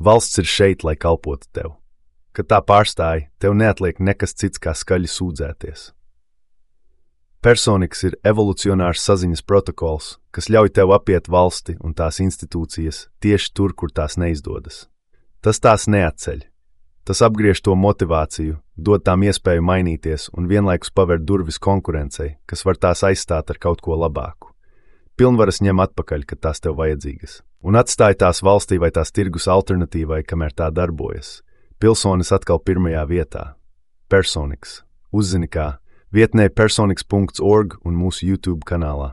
Valsts ir šeit, lai kalpotu tev. Kad tā pārstāj, tev neatliek nekas cits kā skaļi sūdzēties. Personiks ir evolucionārs saziņas protokols, kas ļauj tev apiet valsti un tās institūcijas tieši tur, kur tās neizdodas. Tas tās neatceļ. Tas apgriež to motivāciju, dod tām iespēju mainīties un vienlaikus paver durvis konkurencei, kas var tās aizstāt ar kaut ko labāku. Pilnvaras ņem atpakaļ, kad tās tev vajadzīgas, un atstāj tās valstī vai tās tirgus alternatīvai, kamēr tā darbojas. Pilsonis atkal pirmajā vietā. Personiks. Uzzini kā. Vietnē personiks.org un mūsu YouTube kanālā.